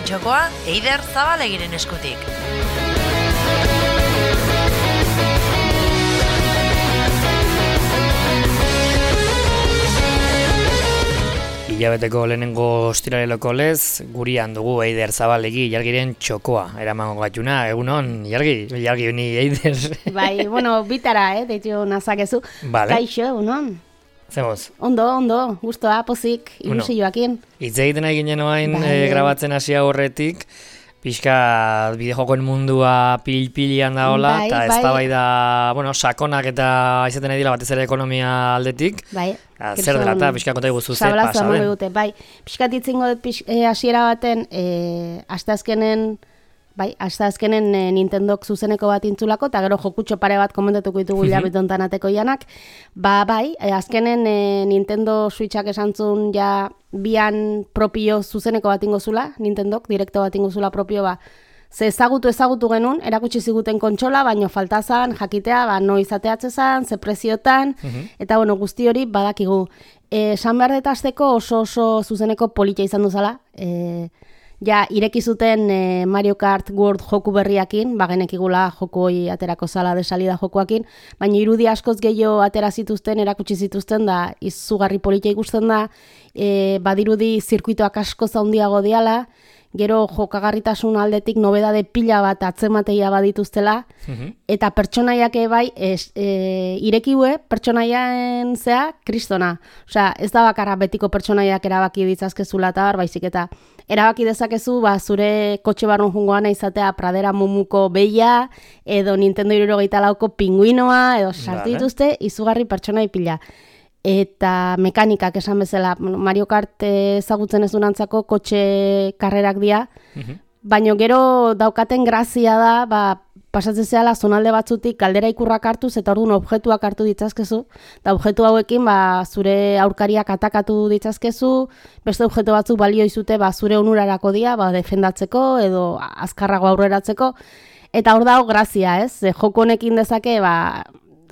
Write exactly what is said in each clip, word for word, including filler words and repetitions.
txokoa Eider Zabalegiren eskutik. Hilabeteko lehenengo ostiraleloko lez, gurian dugu Eider Zabalegi Ilargiren txokoa. Eramango gatuna, egunon, Ilargi, Ilargi honi Eider. Bai, bueno, bitara, eh, deitu nazakezu. Vale. Kaixo, egunon. Zemoz? Ondo, ondo, gustoa, pozik, ilusioakin. Hitz egiten ari ginen oain Bai. e, grabatzen hasi horretik, pixka bideojokoen mundua pil-pilian da hola, Bai, eta bai. eztabaida, bueno, sakonak eta izaten ari dira batez ere ekonomia aldetik. Bai. Ah, zer dela eta pixka konta iguzu ze Sablazo pasa emango den. dute, bai. Pixkat itzingo dut pix, eh, hasiera baten, eh, asteazkenen, bai, asteazkenen eh, Nintendok zuzeneko bat intzulako, eta gero jokutxo pare bat komentatuko ditugu hilabete hontan ateko janak. Ba, bai, eh, azkenen eh, Nintendo Switchak esantzun ja bian propio zuzeneko bat ingozula, Nintendok, direkto bat ingozula propio, ba, ze ezagutu ezagutu genuen, erakutsi ziguten kontsola, baino faltazan, jakitea, ba, no izateatzezan, ze preziotan, eta bueno, guzti hori badakigu. Eh, Esan behar dut hasteko oso oso zuzeneko politia izan duzala, eh, ja, ireki zuten eh, Mario Kart World joku berriakin, bagenekigula joku hoi aterako zala de salida jokuakin, baina irudi askoz gehiago atera zituzten, erakutsi zituzten da, izugarri politia ikusten da, eh, badirudi zirkuitoak asko zaundiago diala, gero jokagarritasun aldetik nobedade pila bat atzemateia badituztela, eta pertsonaiak bai, es, e, irekiue pertsonaien zea kristona. Osea, ez da bakarra betiko pertsonaiak erabaki ditzazkezula eta bar, baizik eta erabaki dezakezu, ba, zure kotxe barrun jungoana izatea Pradera Mumuko beia, edo Nintendo hirurogeita lauko pinguinoa, edo sartu Vale. dituzte, izugarri pertsonai pila. Eta mekanikak esan bezala, Mario Kart ezagutzen ez dunantzako kotxe karrerak dira, baina gero daukaten grazia da, ba, pasatzen zehala zonalde batzutik galdera ikurrak hartuz eta orduan objektuak hartu ditzazkezu, eta objektu hauekin ba, zure aurkariak atakatu ditzazkezu, beste objektu batzuk balio izute ba, zure onurarako dira, ba, defendatzeko edo azkarrago aurreratzeko, eta hor dago grazia, ez? Ze joko honekin dezake, ba,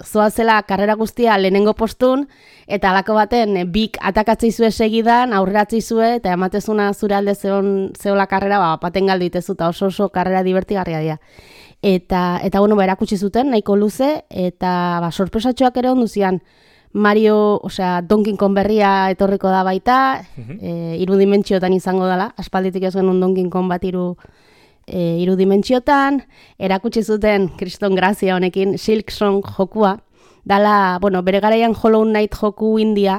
zoazela karrera guztia lehenengo postun, eta alako baten e, bik atakatzei zue segidan, aurreratzei zue, eta ematezuna zure alde zeon, zeola karrera, ba, paten galdu itezu, eta oso oso karrera divertigarria dira. Eta, eta bueno, ba, erakutsi zuten, nahiko luze, eta ba, sorpresatxoak ere ondu zian, Mario, osea, Donkey Kong berria etorriko da baita, e, hiru dimentsiotan izango dela, aspalditik ez genuen Donkey Kong bat hiru E, hiru dimentsiotan, erakutsi zuten kriston grazia honekin Silksong jokua, dala, bueno, bere garaian Hollow Knight joku india,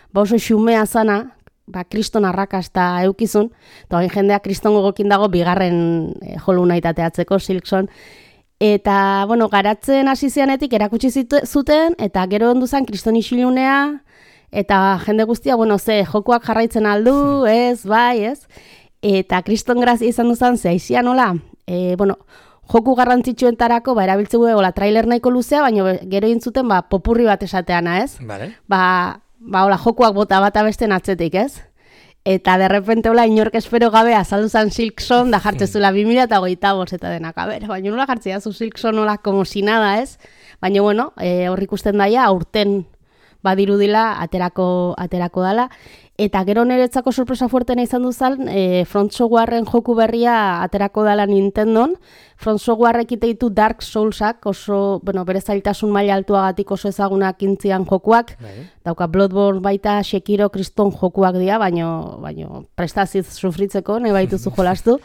ba oso xumea zana, ba, kriston arrakasta eukizun, eta hain jendea kriston gogokin dago bigarren e, Hollow Knight ateatzeko Silksong, eta, bueno, garatzen hasi zianetik erakutsi zitu, zuten, eta gero ondu zen kriston isilunea, eta jende guztia, bueno, ze, jokuak jarraitzen aldu, ez, bai, ez, eta kriston grazia izan duzan ze aizian nola, e, bueno, joku garrantzitsuentarako ba, erabiltzeu hola trailer nahiko luzea, baina gero intzuten ba, popurri bat esateana, ez? Vale. Ba, ba hola, jokuak bota bata besten atzetik, ez? Eta derrepente hola inork espero gabe azaldu zan Silksong da jartzezula bi mila hogeita bost eta denak, a ber, baina nola jartzea zu Silksong nola como si nada, ez? Baina bueno, e, hor ikusten daia aurten badirudila aterako aterako dala. Eta gero niretzako sorpresa fuertena izan duzan, e, Front Softwareren joku berria aterako dela Nintendon. Front Softwarek ite ditu Dark Soulsak, oso, bueno, bere zailtasun maila altuagatik oso ezagunak intzian jokuak. Bai. Dauka Bloodborne baita, Sekiro, kriston jokuak dira, baino, baino prestaziz sufritzeko, nahi baituzu jolastu.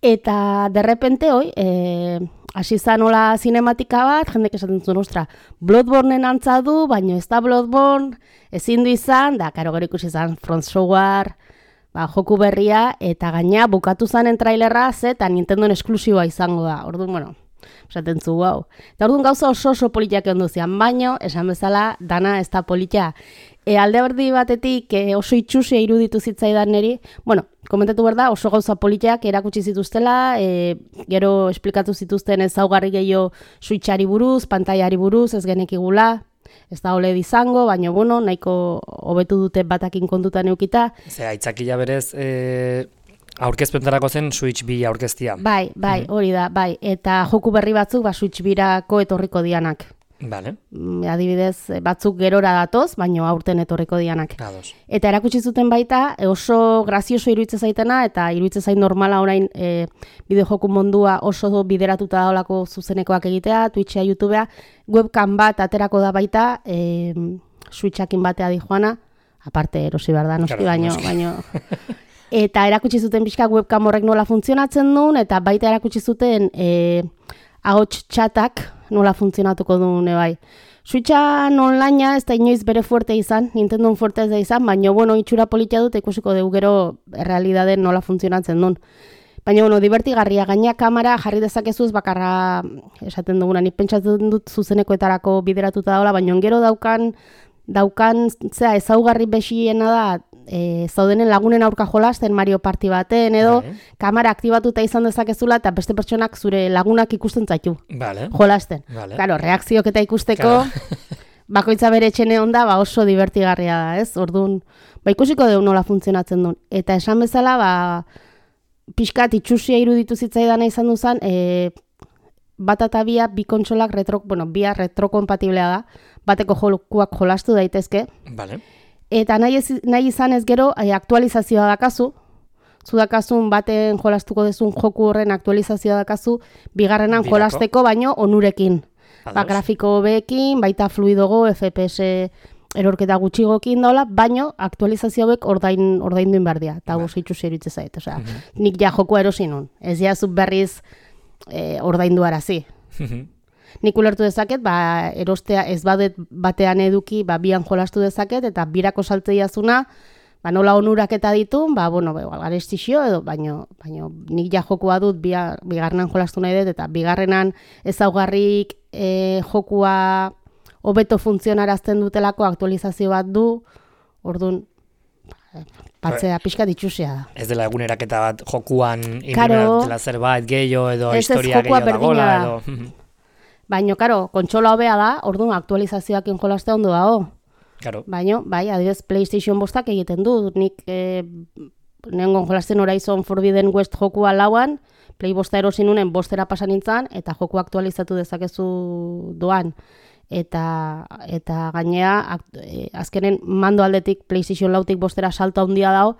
Eta derrepente hoi, e, hasi zan hola zinematika bat, jendek esaten zuen, ostra, Bloodborneen antza du, baino ez da Bloodborne, ezin du izan, da, karo gero ikusi izan Front Software, ba, joku berria, eta gaina bukatu zanen trailerra, ze, eta Nintendon esklusiboa izango da, orduan, bueno, esaten zu, wow. Eta orduan gauza oso oso politiak egon duzian, baino, esan bezala, dana ez da politia. E, alde berdi batetik e, oso itxusia iruditu zitzaidan niri, bueno, komentatu behar da, oso gauza politiak erakutsi zituztela, e, gero esplikatu zituzten ezaugarri gehiago Switchari buruz, pantailari buruz, ez genekigula, ez da ole izango, baina bueno, nahiko hobetu dute batakin kontutan eukita. Ze, aitzakila berez, e, aurkezpentarako zen Switch bi aurkeztia. Bai, bai, hori da, bai, eta joku berri batzuk ba, Switch birako etorriko dianak. Vale. Adibidez, batzuk gerora datoz, baino aurten etorriko dianak. Ados. Eta erakutsi zuten baita, oso grazioso iruditzen zaitena, eta iruditzen zait normala orain e, bideojoku mundua oso bideratuta daolako zuzenekoak egitea, Twitcha, YouTubea, webcam bat aterako da baita, e, Switchakin batea di joana, aparte erosi behar da, noski, baino, noski. baino. Eta erakutsi zuten pixka webcam horrek nola funtzionatzen duen, eta baita erakutsi zuten e, ahots txatak nola funtzionatuko duen, bai. Switchan onlinea ez da inoiz bere fuerte izan, Nintendo fuerte ez da izan, baina, bueno, itxura politia dut ikusiko dugu gero errealitateen nola funtzionatzen duen. Baina, bueno, divertigarria, gaina kamera jarri dezakezuz bakarra esaten duguna, nik pentsatzen dut zuzenekoetarako bideratuta daula, baina gero daukan, daukan, zera, ezaugarri besiena da, e, zaudenen lagunen aurka jolasten Mario Party baten, edo, vale. Kamera aktibatuta izan dezakezula, eta beste pertsonak zure lagunak ikusten zaitu, vale. Jolasten. Vale. Claro, reakziok eta ikusteko, claro. Bakoitza bere etxene onda, ba oso divertigarria da, ez? Orduan, ba ikusiko dugu nola funtzionatzen duen. Eta esan bezala, ba, pixkat itxusia iruditu zitzaidana izan duzan, e, bat eta bia, bi kontsolak retro, bueno, bia retrokompatiblea da, bateko jokuak jolastu daitezke. Vale. Eta nahi, ez, nahi izan ez gero, e, aktualizazioa dakazu, zu dakazun baten jolastuko dezun joku horren aktualizazioa dakazu, bigarrenan Birako. Jolasteko baino onurekin. Ba, grafiko hobeekin, baita fluidogo, F P S erorketa gutxigokin daula, baino aktualizazio hauek ordain, ordainduin behar dira. Eta guz itxu zeritze zait. Osea, uh-huh. Nik ja jokua erosi nun. Ez ja zut berriz e, ordaindu arazi. Uh-huh. Nik ulertu dezaket, ba, erostea ez badet batean eduki, ba, bian jolastu dezaket, eta birako saltzeiazuna, ba, nola onuraketa ditu, ba, bueno, garestixio edo, baino, baino nik ja jokua dut, bia, bigarrenan jolastu nahi dut, eta bigarrenan ezaugarrik e, jokua hobeto funtzionarazten dutelako aktualizazio bat du, orduan, patzea pixka ditxusia da. Ez dela eguneraketa bat jokuan inbinatela zerbait gehiago edo historia gehiago dagoela edo... Baina, karo, kontsola hobea da, orduan aktualizazioak injolazte ondo dago. Claro. Baina, bai, adibidez PlayStation bostak egiten du. Nik eh, nengon jolazten Horizon Forbidden West jokua lauan, Play bosta erosin unen bostera pasan nintzen, eta joku aktualizatu dezakezu doan. Eta, eta gainea, eh, azkenen mando aldetik PlayStation lautik bostera salto handia dago,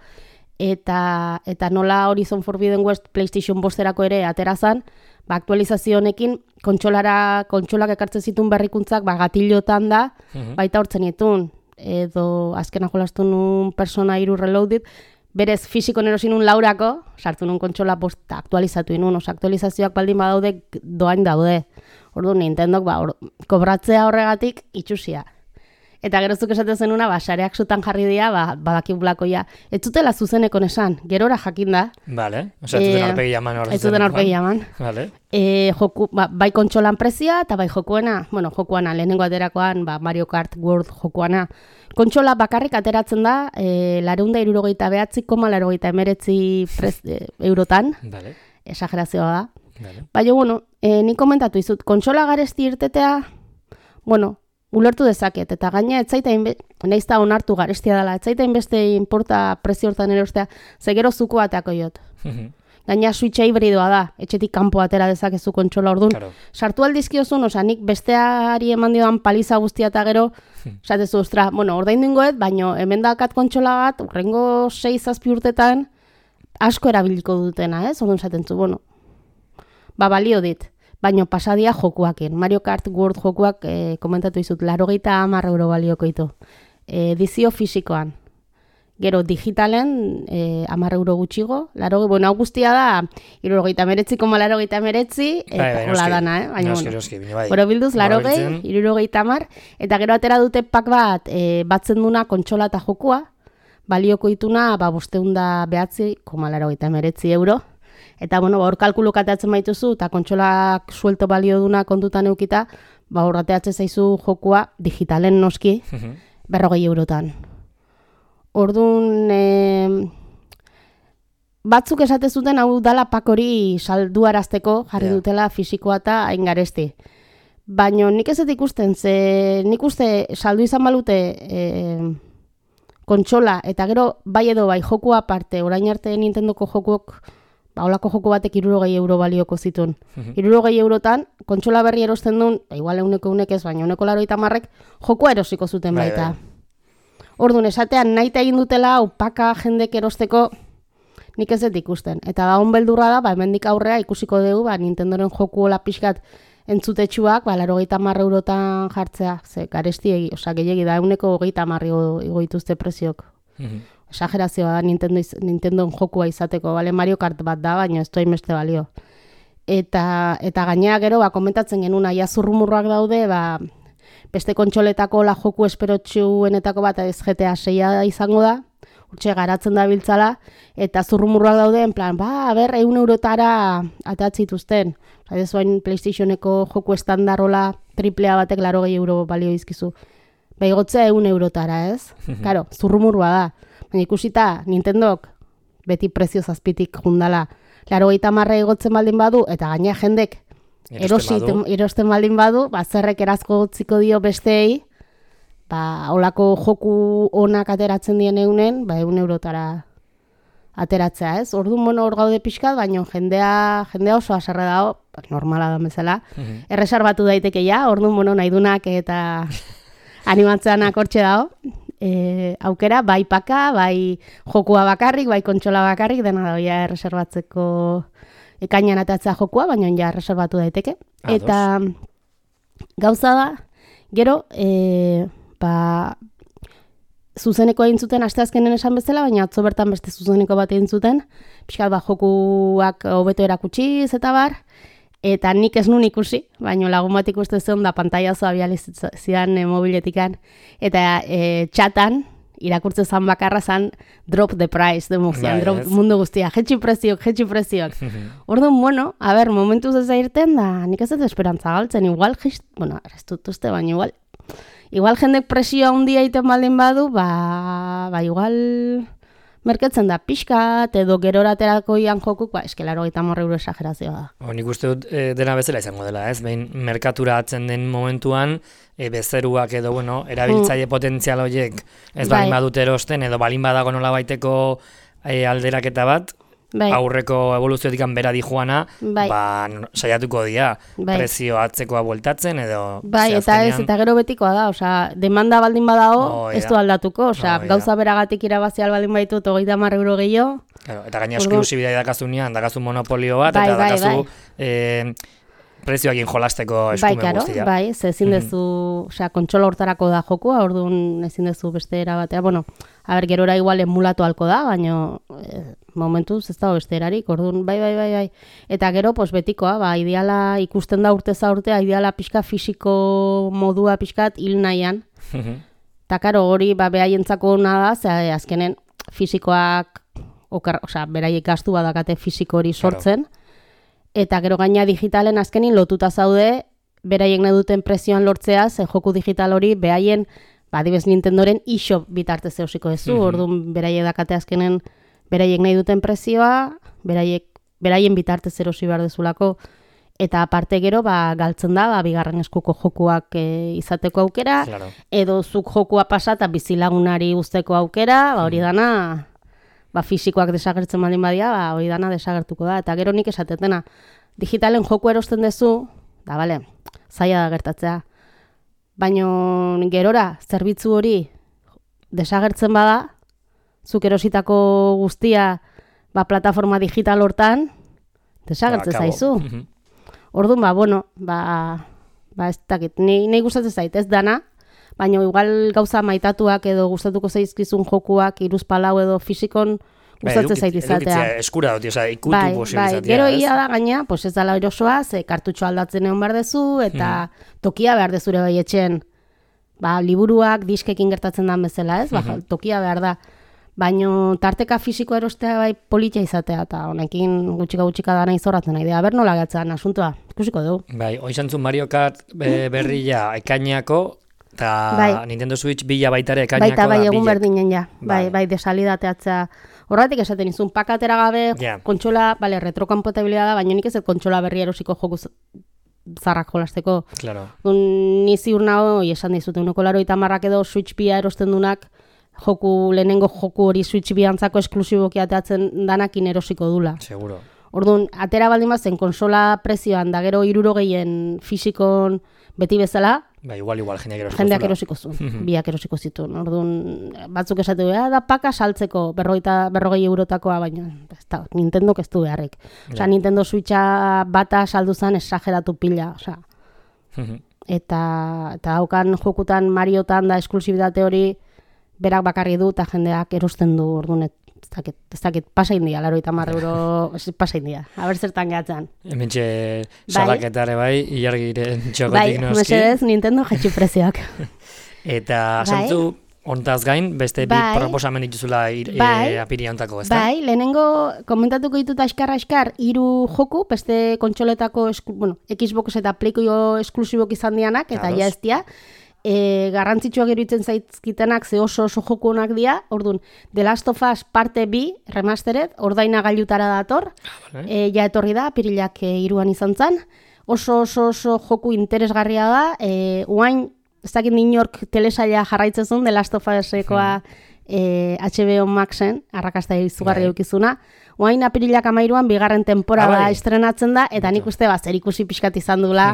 eta, eta nola Horizon Forbidden West PlayStation bosterako ere aterazan, ba, aktualizazio honekin kontsolara, kontsolak ekartzen zituen berrikuntzak ba, gatillotan da, uh-huh. Baita hortzen ditun, edo azkena jolastu nun persona hiru reloaded, berez fisiko nerosin nun laurako, sartu nun kontsola bosta aktualizatu inun, oso aktualizazioak baldin badaude doain daude. Orduan Nintendok ba, or, kobratzea horregatik itxusia. Eta gerozuk esaten zenuna, ba, sareak zutan jarri dira, ba, badakibulakoia. Ez zutela zuzeneko nesan, gerora jakin da. Vale, osea, ez zuten aurpegi jaman hor. Ez zuten aurpegi jaman. Vale. E, joku, ba, bai kontsolan prezia, eta bai jokuena, bueno, jokuana, lehenengo aterakoan, ba, Mario Kart World jokuana. Kontsola bakarrik ateratzen da, e, lareunda irurogeita behatzi, koma larogeita emeretzi prez, e, eurotan. Vale. Exagerazioa da. Vale. Baina, bueno, e, nik komentatu izut, kontsola garesti irtetea, bueno, ulertu dezaket, eta gaina etzaita nahiz da onartu garestia dela, etzaita inbeste inporta prezio hortan erostea, ze gero zuko ateako jot. Gaina switcha hibridoa da, etxetik kanpo atera dezakezu kontsola orduan. Claro. Sartu aldizkiozun, oza, nik besteari eman dioan paliza guztia eta gero, esatezu, ostra, bueno, ordaindu ingoet, baino hemen dakat kontsola bat, urrengo sei zazpi urtetan, asko erabiliko dutena, ez? Orduan esaten zu, bueno, ba, balio dit. Baina pasadia jokuakin. Mario Kart World jokuak e, komentatu izut, larogeita hamar euro balioko ditu. E, edizio fisikoan. Gero digitalen e, hamar euro gutxigo. Laroge, bueno, hau guztia da, irurogeita meretzi koma larogeita meretzi, eta hola dana, eh? Baina, noski, noski, bai. Gero bilduz, larogei, irurogeita hamar, eta gero atera dute pak bat, e, batzen duna kontsola eta jokua, balioko dituna, ba, bosteunda behatzi, koma larogeita meretzi euro. Eta, bueno, hor kalkuluk ateatzen baituzu, eta kontsolak suelto balio duna kontutan eukita, ba, hor ateatzen zaizu jokua digitalen noski, berrogei eurotan. Orduan, e, batzuk esate zuten hau dala pak hori salduarazteko jarri yeah. dutela fisikoa eta hain garesti. Baina nik ez ikusten, ze nik uste saldu izan balute e, kontsola, eta gero bai edo bai jokua aparte, orain arte Nintendoko jokuok ba, holako joko batek hirurogei euro balioko zituen. hirurogei eurotan, kontsola berri erosten duen, igual euneko unek ez, baina euneko laurogeita hamarrek jokoa erosiko zuten bai, baita. Bai. Orduan, esatean nahi egin dutela, upaka jendek erosteko, nik ez dut ikusten. Eta da, onbeldurra da, ba, hemendik aurrea ikusiko dugu, ba, Nintendoren joku hola pixkat entzutetsuak, ba, laurogeita hamar eurotan jartzea, ze, garesti egi, oza, gehiagi da, euneko hogeita hamar igo dituzte preziok. Exagerazioa da Nintendo, Nintendon jokua izateko, bale, Mario Kart bat da, baina ez doa beste balio. Eta, eta gainera gero, ba, komentatzen genuen, aia zurrumurroak daude, ba, beste kontsoletako la joku esperotxuenetako bat ez G T A seia izango da, urtxe garatzen da biltzala, eta zurrumurroak daude, en plan, ba, ber, eun eurotara atatzituzten. Osa, ez bain PlayStationeko joku estandarola triplea batek larogei euro balio izkizu. Ba, igotzea eun eurotara, ez? Karo, zurrumurroa da. Baina ikusita, Nintendok beti prezio zazpitik jundala. Laurogeita hamarra igotzen baldin badu, eta gaina jendek erosten, erosten baldin badu, ba, zerrek erazko gotziko dio besteei, ba, olako joku onak ateratzen dien eunen, ba, eun eurotara ateratzea, ez? Orduan, bueno, hor gaude pixkat, baina jendea, jendea oso haserre dago, normala da bezala, uh-huh. Erresarbatu daiteke ja, orduan, bueno, nahi dunak eta animatzeanak hortxe dago, e, aukera, bai paka, bai jokua bakarrik, bai kontsola bakarrik, dena da, ja, erreserbatzeko ekainan atatzea jokua, baina ja erreserbatu daiteke. Ados. Eta gauza da, gero, e, ba, zuzeneko egin zuten asteazkenen esan bezala, baina atzo bertan beste zuzeneko bat egin zuten, pixkat ba, jokuak hobeto erakutsiz eta bar, eta nik ez nun ikusi, baina lagun bat ikuste zen da pantaiazoa bializian e, mobiletikan, eta e, txatan, irakurtze zan bakarra zan drop the price, de mozian, drop yes. Mundu guztia, jetxi preziok, jetxi preziok. Orduan, bueno, a ber, momentuz ez da irten da, nik ez dut esperantza galtzen, igual, jist, bueno, ez dut uste, baina igual, igual jendek presioa handia egiten baldin badu, ba, ba igual merketzen da pixkat, edo geroraterako ian jokuk, ba, eske laurogeita hamar euro esagerazioa da. O, nik uste dut e, dena bezala izango dela, ez? Behin merkatura atzen den momentuan, e, bezeruak edo, bueno, erabiltzaile mm. potentzial horiek ez bai. Balin badut erosten, edo balin badago nola baiteko e, alderaketa bat, bai. Aurreko evoluziotik bera dijoana, bai. Ba, saiatuko dira, bai. Prezio atzekoa bueltatzen, edo... Bai, eta ez, eta gero betikoa da, osea, demanda baldin badago, oh, ez du aldatuko, osea, oh, gauza beragatik irabazial baldin baitut, hogeita hamar euro gehiago. Claro, eta gaina esklusibidea dakazunean, dakazu monopolio bat, bai, eta bai, dakazu... Bai. Eh, prezioakin jolasteko eskumen bai, guztia. Bai, ez ezin dezu, mm-hmm. osea, kontsola hortarako da jokua, orduan ezin dezu beste erabatea. Bueno, a ber, gerora igual emulatu halko da, baina eh, momentuz ez dago beste erarik, orduan bai, bai, bai, bai. Eta gero, pues betikoa, ba, ideala ikusten da urteza urtea, ideala pixka fisiko modua pixkat hil nahian. Eta karo, hori, ba, behaientzako ona da, ze azkenen fisikoak, okar, osea, beraiek gastu badakate fisiko hori sortzen, claro. Eta gero gaina digitalen azkenin lotuta zaude, beraiek nahi duten prezioan lortzea, ze joku digital hori behaien, ba, adibez Nintendoren eShop bitartez eusiko ezu, mm-hmm. Orduan beraiek dakate azkenen beraiek nahi duten prezioa, beraiek, beraien bitartez erosi behar dezulako, eta aparte gero, ba, galtzen da, ba, bigarren eskuko jokuak e, izateko aukera, claro. Edo zuk jokua pasa eta bizilagunari uzteko aukera, ba, hori dana... ba, fisikoak desagertzen baldin badia, ba, hori dana desagertuko da. Eta gero nik esatetena, digitalen joku erosten duzu, da, bale, zaila da gertatzea. Baina gerora, zerbitzu hori desagertzen bada, zuk erositako guztia, ba, plataforma digital hortan, desagertzen ba, zaizu. Orduan, ba, bueno, ba, ba ez dakit, nahi gustatzen zait, ez dana, baina igual gauza maitatuak edo gustatuko zaizkizun jokuak iruzpalau edo fisikon gustatzen zait izatea. Edukitzea eskura dut, oza, ikutu bai, posibilizatea. Bai, gero ia da gaina, pues ez dala erosoa, ze kartutxo aldatzen egon behar dezu, eta hmm. tokia behar dezure bai etxen, ba, liburuak diskekin gertatzen dan bezala, ez? Ba, hmm. tokia behar da. Baina tarteka fisikoa erostea bai politia izatea, eta honekin gutxika gutxika dana izorratzen nahi. Aber nola gatzan asuntua, ikusiko dugu. Bai, oizantzun Mario Kart be, berria ekaineako, eta bai. Nintendo Switch bila baitare ekainako baita, bai, da. Egun berdinen ja, bai, bai, desalidateatzea. Horretik esaten izun, pakatera gabe, yeah. Kontsola, bale, retrokompatibilidad da, baina nik ez kontsola berri erosiko joku zarrak jolasteko. Claro. Ni ziur nago, esan dizute, uneko laro eta marrak edo Switch bia erosten dunak, joku, lehenengo joku hori Switch biantzako esklusiboki ateatzen danakin erosiko dula. Seguro. Orduan, atera baldin bazen konsola prezioan da gero hirurogeien fisikon beti bezala, Ba, igual, igual, jendeak erosiko jendeak erosiko zuen, biak erosiko zituen. Orduan, batzuk esatu, ja, da paka saltzeko berrogeita, berrogei eurotakoa, baina ez da, Nintendok ez du beharrik. Osea, Nintendo Switcha bata saldu zen esageratu pila, osea. Eta, eta haukan jokutan Mariotan da esklusibitate hori berak bakarri du eta jendeak erosten du, orduan, ez dakit, ez dakit, pasa india, laro eta marra euro, pasa india, haber zertan gehatzen. Hementxe salaketare bai, ilargiren txokotik bai, noski. Bai, mesedez, Nintendo jetxu prezioak. Eta, zentzu, hontaz gain, beste bi bai. proposamen dituzula ir, bai. e, apiria hontako, ez da? Bai, lehenengo komentatuko ditut askar-askar hiru joku, beste kontsoletako, esku, bueno, Xbox eta Playko esklusibok izan dianak, eta ja ez dia, E, garrantzitsuak iruditzen zaizkitenak ze oso oso joku honak dira, orduan, The Last of Us parte bi, remastered, ordaina gailutara dator, ah, e, ja etorri da, apirilak e, iruan izan zen, oso oso oso joku interesgarria da, e, uain, ez dakit inork telesaila jarraitzen zuen, The Last of Us-ekoa e, H B O Maxen, arrakasta izugarri eukizuna, uain apirilak amairuan bigarren temporada ah, estrenatzen da, eta nik uste ba, zer ikusi pixkat izan dula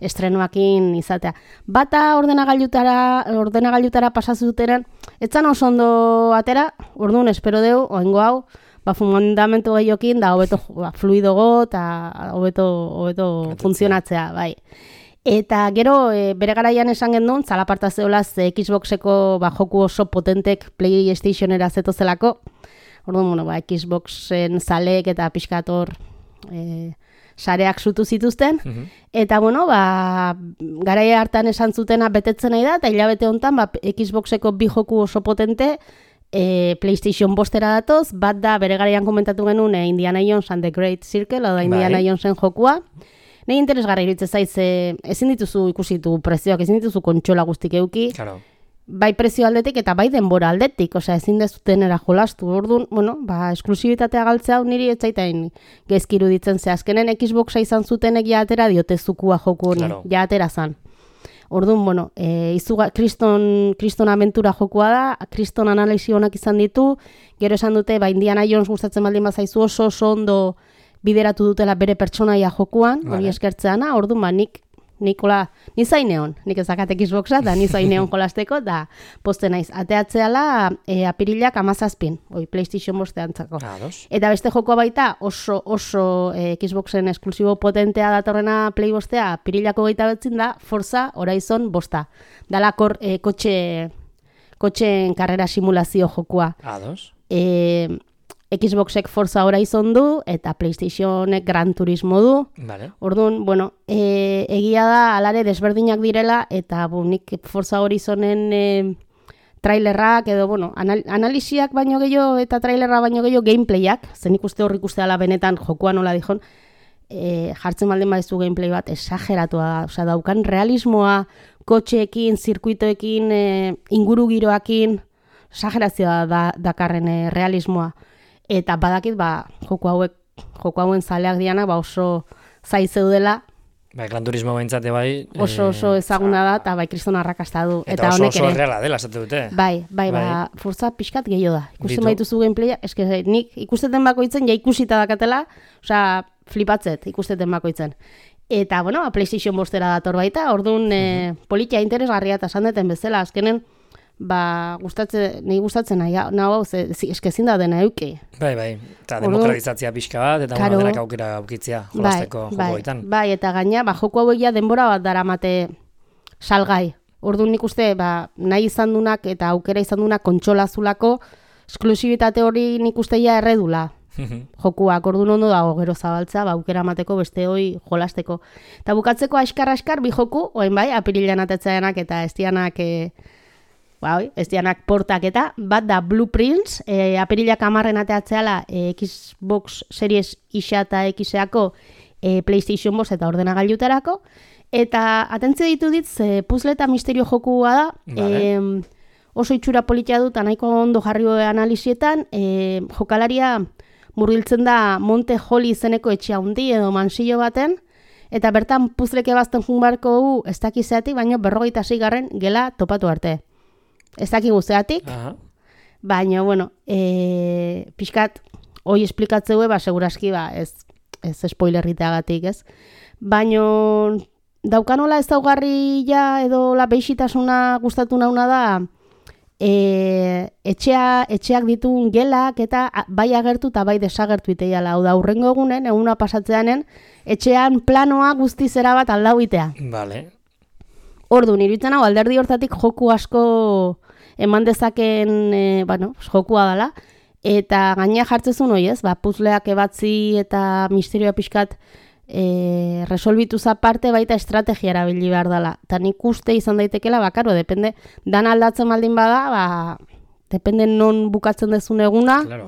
estrenuakin izatea. Bata ordenagailutara, ordenagailutara pasazutenen, etzan oso ondo atera, orduan espero deu, oengo hau, ba, fundamentu gehiokin, da hobeto ba, fluidogo, eta hobeto, hobeto funtzionatzea, bai. Eta gero, e, bere garaian esan gendun, zalaparta zeolaz Xboxeko ba, joku oso potentek PlayStationera zetozelako, orduan, bueno, ba, Xboxen zaleek eta pixkator e, sareak sutu zituzten. Mm-hmm. Eta, bueno, ba, garaia hartan esan zutena betetzen nahi da, eta hilabete honetan, ba, Xboxeko bi joku oso potente e, PlayStation bostera datoz, bat da, bere garaian komentatu genuen e, Indiana Jones and the Great Circle, o da Indiana Jonesen jokua. Nei interesgarra iruditzen zaiz, e, ezin dituzu ikusitu prezioak, ezin dituzu kontsola guztik euki. Claro. Bai prezio aldetik eta bai denbora aldetik, osea ezin dezutenera jolastu. Orduan, bueno, ba esklusibitatea galtzea niri ez zaitain gaizki iruditzen ze azkenen Xboxa izan zutenek ja atera diote zukua joku honi, claro. Ja atera zan. Orduan, bueno, eh izuga Kriston Kriston aventura jokua da, Kriston analisi onak izan ditu, gero esan dute ba Indiana Jones gustatzen baldin bazaizu oso oso ondo bideratu dutela bere pertsonaia jokuan, hori vale. Eskertzeana, orduan ba nik Nikola, ni zaineon, nik ezakat Xboxa, da ni zaineon jolasteko, da poste naiz. Ateatzeala e, apirilak amazazpin, oi PlayStation bostean txako. Eta beste jokoa baita oso oso e, Xboxen esklusibo potentea datorrena Play bostea, apirilako gaita betzin da, Forza Horizon bosta. Dalakor e, kotxe, kotxeen karrera simulazio jokoa. Ados. E, Xboxek Forza Horizon du, eta PlayStationek Gran Turismo du. Vale. Orduan, bueno, e, egia da, alare desberdinak direla, eta bu, nik Forza Horizonen e, trailerrak, edo, bueno, anal, analisiak baino gehiago, eta trailerra baino gehiago gameplayak, zen ikuste hor ikuste ala benetan jokoa nola dijon, e, jartzen baldin badizu gameplay bat, esageratua da, osea, daukan realismoa, kotxeekin, zirkuitoekin, e, inguru giroakin, esagerazioa da, dakarren e, realismoa. Eta badakit, ba, joko hauek, joko hauen zaleak diana, ba oso zai zeudela. Bai, Gran Turismo behintzate bai. Oso oso ezaguna da, eta bai, kriston arrakasta du. Eta, eta oso oso reala dela, esate dute. Bai, bai, bai. Ba, Forza pixkat gehiago da. Ikusten baituzu gameplaya, eske nik ikusteten bakoitzen, ja ikusita dakatela, osea, flipatzet ikusteten bakoitzen. Eta, bueno, PlayStation bostera dator baita, orduan uh-huh. e, politia interesgarria eta esan deten bezala, azkenen, ba, gustatzen, nahi gustatzen nahi, nahi, ze, eske ezin da dena euki. Bai, bai, eta demokratizatzia pixka bat, eta claro. Denak aukera aukitzia jolasteko bai, joko baitan. Bai, eta gaina, ba, joko hauek ja denbora bat daramate salgai. Orduan nik uste, ba, nahi izan dunak eta aukera izan dunak kontsolazulako, esklusibitate hori nik uste ja erredula. Jokuak, orduan ondo dago gero zabaltza, ba, aukera mateko beste hoi jolasteko. Eta bukatzeko askar-askar bi joku, oen bai, apirilean atetzaenak eta estianak... E, Ba, ez dianak portak eta, bat da Blueprints, e, apirilak amarren ateatzeala e, Xbox Series X eta X-eako e, PlayStation bost eta ordenagailutarako, eta atentzio ditu ditz, e, puzzle eta misterio jokua da, vale. e, oso itxura politia dut, nahiko ondo jarri analizietan, e, jokalaria murgiltzen da Monte Holly izeneko etxe handi edo mansillo baten, eta bertan puzzleke bazten junbarko gu, ez dakizeatik, baina berrogeita zigarren gela topatu arte. Ez daki guzteatik, baina, bueno, e, pixkat, hoi esplikatzeu, ba, seguraski, ba, ez, ez spoilerriteagatik, ez? Baino daukanola ez daugarria edo la beixitasuna gustatu nauna da, E, etxea, etxeak ditun gelak eta bai agertu eta bai desagertu iteiala. Hau da, hurrengo egunen, eguna pasatzeanen, etxean planoa guzti zera bat aldau itea. Vale. Ordu, niruditzen hau, alderdi hortatik joku asko eman dezaken, e, bueno, jokua dela, eta gaina jartzezun hoi ez, ba, puzleak ebatzi eta misterioa pixkat E, resolbituz aparte baita estrategia erabili behar dela. Eta nik uste izan daitekela, bakaro, depende, dan aldatzen baldin bada, ba, depende non bukatzen dezun eguna, claro.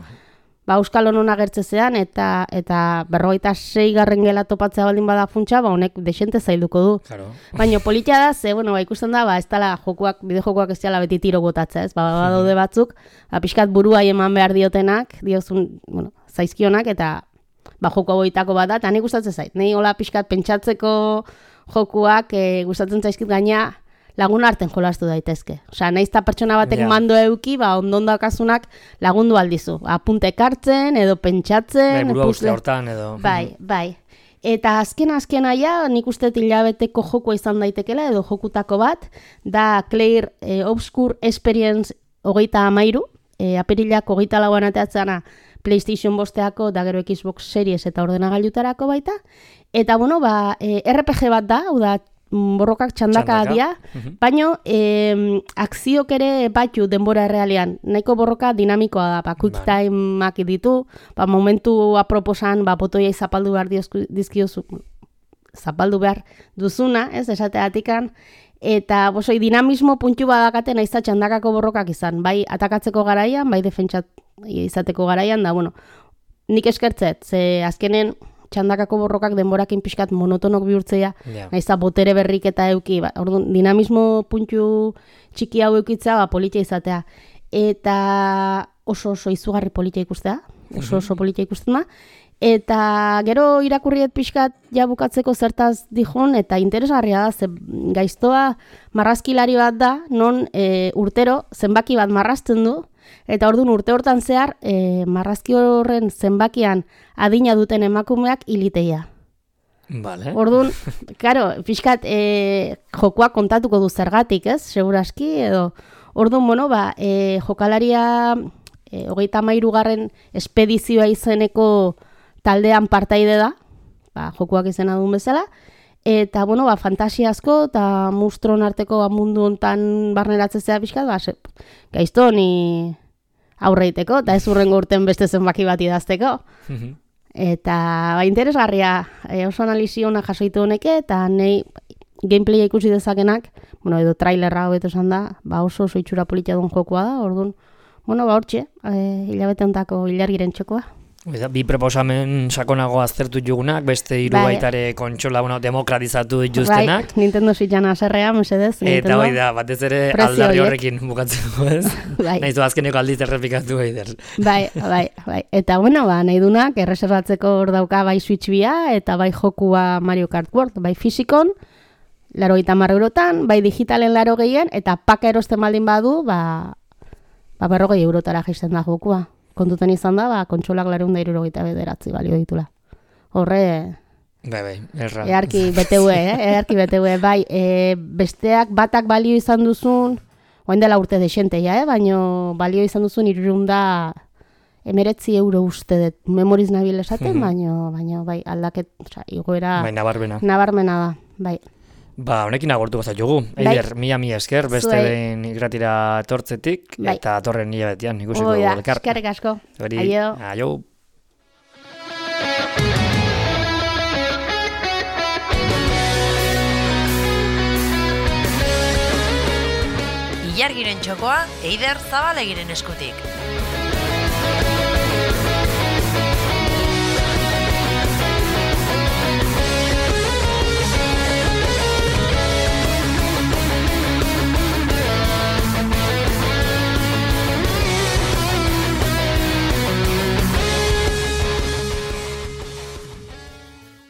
Ba, euskal honon agertzezean, eta eta berrogeita sei garren gela topatzea baldin bada funtsa, ba, honek desente zailduko du. Claro. Baina politia da, ze, bueno, ba, ikusten da, ba, ez dala jokuak, bide jokuak ez dela beti tiro botatzea, ez, ba, badaude batzuk, ba, pixkat buruai eman behar diotenak, diozun, bueno, zaizkionak, eta ba, joko boitako bat da, eta nik gustatzen zait. Nei hola pixkat pentsatzeko jokuak e, gustatzen zaizkit gaina lagun arten jolastu daitezke. Osea, nahiz eta pertsona batek yeah. mando euki, ba, ondon dakasunak lagundu aldizu. Apuntek hartzen, edo pentsatzen. Bai, burua uste hortan, edo. Bai, bai. Eta azken azken aia, nik uste hilabeteko jokoa izan daitekela, edo jokutako bat, da Claire e, Obscure Experience hogeita amairu, e, apirilak hogeita lauan ateatzana, PlayStation bosteako, da gero Xbox Series eta ordenagailutarako baita. Eta, bueno, ba, e, R P G bat da, hau da, borrokak txandaka, txandaka. dia, uh-huh. baino, e, akziok ere batu denbora errealian. Nahiko borroka dinamikoa da, ba, quick timeak ditu, ba, momentu aproposan, ba, botoiai zapaldu behar dizkiozu, zapaldu behar duzuna, ez, esateatikan, eta bosoi dinamismo puntu badakaten aiza txandakako borrokak izan, bai atakatzeko garaian, bai defentsat izateko garaian, da, bueno, nik eskertzet, ze azkenen txandakako borrokak denborakin pixkat monotonok bihurtzea, yeah. naiza botere berrik eta euki, ba, orduan, dinamismo puntu txiki hau eukitzea, ba, politia izatea. Eta oso oso izugarri politia ikustea, oso oso politia ikusten da, eta gero irakurriet pixkat ja bukatzeko zertaz dijon, eta interesgarria da, ze gaiztoa marrazkilari bat da, non e, urtero zenbaki bat marrazten du, eta orduan urte hortan zehar e, marrazki horren zenbakian adina duten emakumeak hiliteia. Vale. Orduan, claro, pixkat e, jokoa kontatuko du zergatik, ez? Seguraski, edo orduan, bueno, ba, e, jokalaria e, hogeita hamairu garren espedizioa izeneko taldean partaide da, ba, jokuak izena duen bezala, eta, bueno, ba, fantasia asko, eta mustron arteko ba, mundu hontan barneratzea pixkat, ba, se, gaizto ni aurreiteko, eta ez urrengo urten beste zenbaki bat idazteko. Mm-hmm. Eta, ba, interesgarria, e, oso analizi hona jasoitu honeke, eta nahi gameplaya ikusi dezakenak, bueno, edo trailerra hobeto esan da, ba, oso oso itxura politia duen jokoa da, orduan, bueno, ba, hortxe, e, hilabete hontako ilargiren txokoa. Bi proposamen sakonago aztertu jugunak, beste hiru bai. Baitare kontsola bueno, demokratizatu dituztenak. Bai, Nintendo Switchana haserrea, mesedez. Eta bai da, batez ere aldarri horrekin bukatzeko, ez? Bai. Nahiz du azkeneko aldiz errepikatu Eider. Bai, bai, bai. Eta bueno, ba, nahi dunak, erreserbatzeko hor dauka bai Switch bia, eta bai jokua Mario Kart World, bai fisikon, laro gita marrurotan, bai digitalen laro gehien, eta paka erosten baldin badu, ba, ba berrogei eurotara jaisten da jokua. Kontutan izan da, ba, kontsolak lareun da irurogeita bederatzi balio ditula. Horre... Bai, bai, erra. Earki B T U, eh? Earki B T U, bai. E, besteak batak balio izan duzun, oain dela urte desente, ja, eh? Baina balio izan duzun irurun da emeretzi euro uste dut. Memoriz nabil esaten, mm-hmm. baina, baina, bai, aldaket, oza, igoera... Bai, nabarmena. Nabarmena da, bai. Ba, honekin agortu gozat jugu. Eider, mila mila esker, beste behin igratira etortzetik, bai. Eta torren nila betian, ikusiko elkar. Oida, eskerrik asko. Hori, aio. Aio. Ilargiren txokoa, Eider Zabalegiren eskutik.